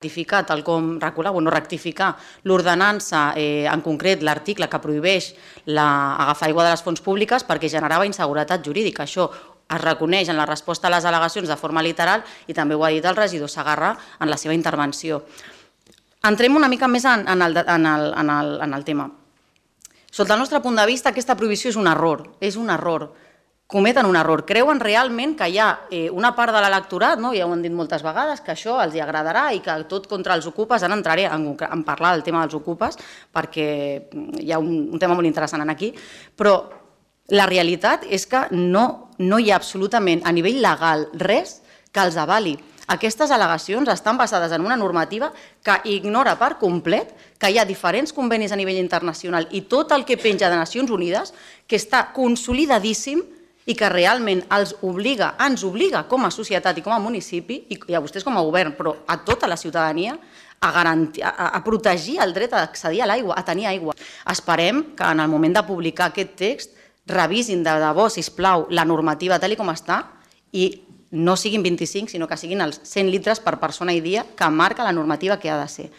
rectificar, tal com regular, o no rectificar l'ordenança, en concret l'article que prohibeix agafar aigua de les fonts públiques perquè generava inseguretat jurídica. Això es reconeix en la resposta a les al·legacions de forma literal i també ho ha dit el regidor Segarra en la seva intervenció. Entrem una mica més en el tema. Sota el nostre punt de vista, aquesta prohibició és un error. Cometen un error. Creuen realment que hi ha una part de l'electorat, ja ho han dit moltes vegades, que això els agradarà i que tot contra els ocupes, ara entraré en parlar del tema dels ocupes perquè hi ha un tema molt interessant aquí, però la realitat és que no hi ha absolutament a nivell legal res que els avali. Aquestes al·legacions estan basades en una normativa que ignora per complet que hi ha diferents convenis a nivell internacional i tot el que penja de Nacions Unides que està consolidadíssim i que realment ens obliga com a societat i com a municipi, i a vostès com a govern, però a tota la ciutadania, a protegir el dret a accedir a l'aigua, a tenir aigua. Esperem que en el moment de publicar aquest text revisin de debò, sisplau, la normativa tal com està i no siguin 25, sinó que siguin els 100 litres per persona i dia que marca la normativa que ha de ser.